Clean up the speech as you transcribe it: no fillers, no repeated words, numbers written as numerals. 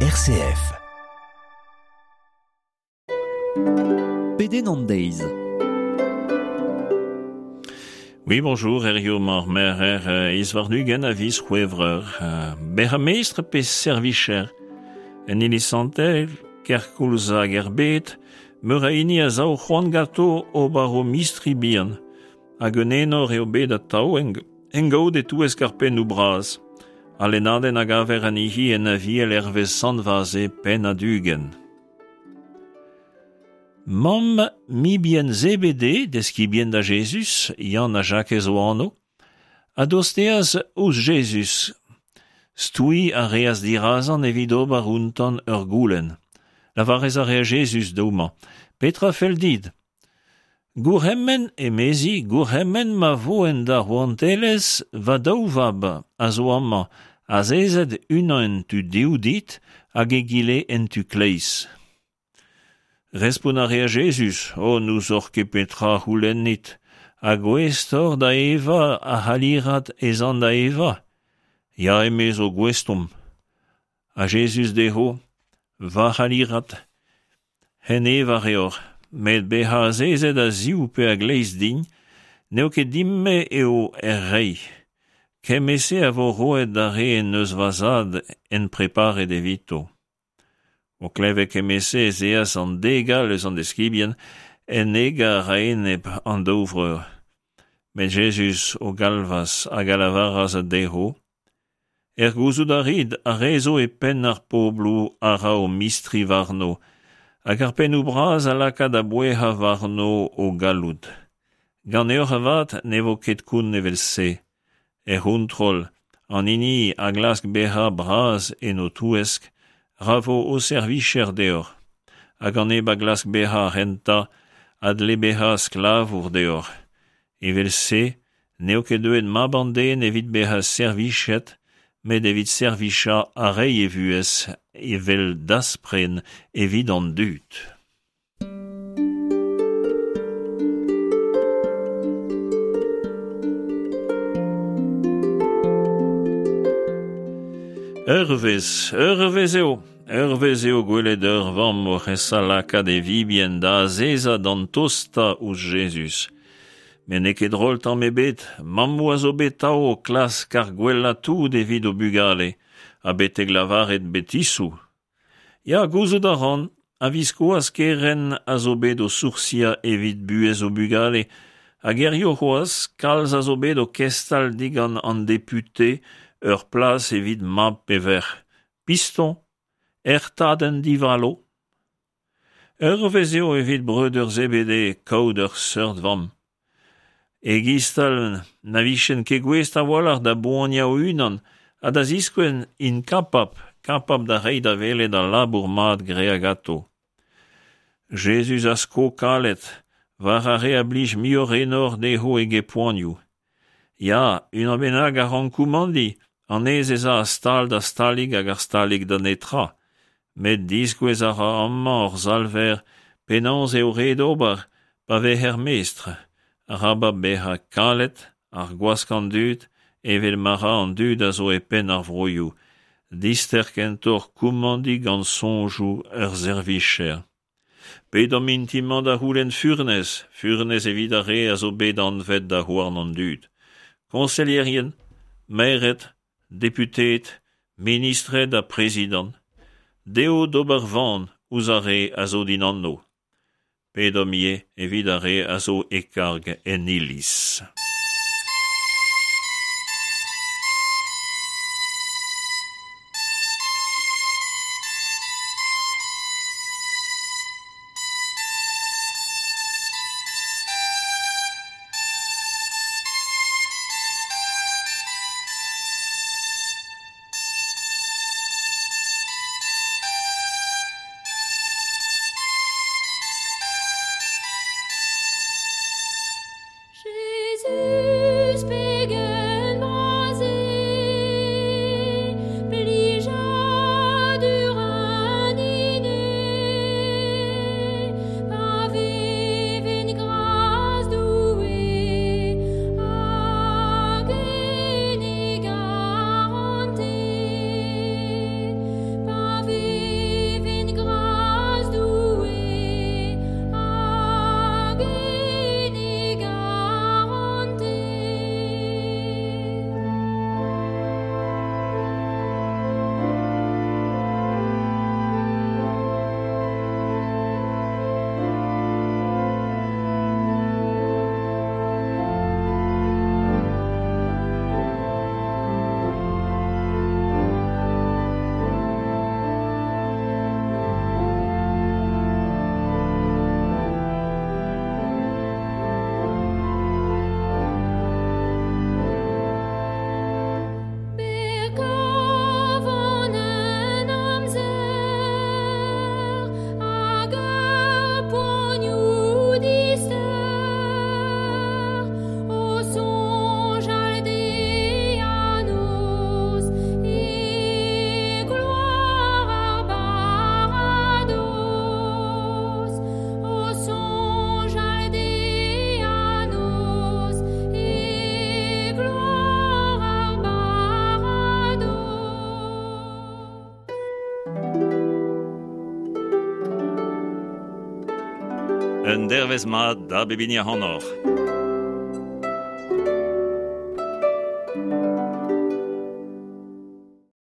RCF. Pedenn an deiz. Oui, bonjour, Herrio mar merc'her eh, iz warn-ugent a viz C'hwevrer. Eh, Bezañ mestr pe servicher En iliz santel, kerkoulz hag er bed, meur a hini a sav c'hoant ganto ober o mistri bihan. Hag un enor eo bet atav en gaout e-touesk ar pennoù bras. Al lennadenn a gaver anezhi en Aviel hervez Sant Vaze pennad 20. Mamm mibien Zebede, deskibien da Jezuz, Yann ha Jakez o anv, a dosteas ouzh Jezuz. Stouiñ a reas dirazañ evit ober outañ ur goulenn. Lavarez a rea Jezuz d'houmañ, Petra fell dit? Gourc'hemenn, emezi, gourc'hemenn ma vo en da rouantelezh va daou vab a zo amañ, azezet unan en tu dehoù dit hag egile en tu kleiz. Respont a rea Jezuz, O, n'ouzoc'h ket petra a c'houlennit, ha gouest oc'h da evañ ar c'halirad ez an da evañ? Ya, emezo, gouest omp. Ha Jezuz dezho, Va c'halirad, hen evañ a reoc'h, met bezañ azezet a-ziv pe a-gleiz din, n'eo ket din-me eo er reiñ. Kement-se a vo roet d'ar re en deus va zad en preparet evito. O klevet kement-se ez eas an dek all eus an deskibien en egar a-enep an daou vreur. Met Jezuz o galvas hag a lavaras dezho, Er gouzout a rit, ar re zo e penn ar pobloù a ra o mistri warno, hag ar pennoù bras a laka da bouezañ warno o galloud. Ganeoc'h avat ne vo ket kont evel-se. Er c'hontrol, an hini a glask bezañ bras en ho touesk, ra vo ho servijer deoc'h. Hag an neb a glask bezañ ar c'hentañ a dle bezañ sklavour deoc'h. Evel-se n'eo ket deuet mab an den evit bezañ servijet, met evit servijañ ha reiñ e vuhez evel daspren evit an dud. Ur vezh, ur vezh eo, ur vezh eo gwelet ur vamm oc'h esa lakaat e vibien da azezañ d'an tostañ ouzh Jezuz. Met n'eo ket drol tamm ebet, mammoù a zo bet 'tav o klask ar gwellañ tout evit o bugale, ha betek lavaret betisoù. Ya, gouzout a ran, a-viskoazh kerent a zo bet o soursiañ evit buhez o bugale, hag hiziv c'hoazh kalz a zo bet o kestal digant an depute ur plas evit mab pe verc'h. Piston, ertadenn divalo. Ur vezh eo evit breudeur Zebede kaout ur seurt vamm. E-giz-tal na vijent ket gouest a-walc'h da boaniañ o-unan ha da ziskouez int kapabl, kapabl da reiñ da welet al labour mat graet ganto. Jezuz a sko kalet war ar re a blij muioc'h enor dezho eget poanioù. Ya, unan bennak a rank koumandiñ, anez ez a a stal da stalig hag ar stalig da netra. Met diskouez a ra amañ hor Salver penaos eo ret ober pa vezer mestr, arabat bezañ kalet, ar gwask an dud, evel ma ra an dud a zo e penn ar vroioù, dister kentoc'h koumandiñ gant soñjoù ur servijer. Pedomp int-mañ da c'houlenn furnez, furnez evit ar re a zo bet anvet da c'houarn an dud. Koñselierien, maered, deputeed, ministred ha prezidant, dezho d'ober van ouzh ar re a zo dindanno. Pedomp ivez evit ar re a zo e karg en iliz. Un dervezh mat da bep hini ac'hanoc'h.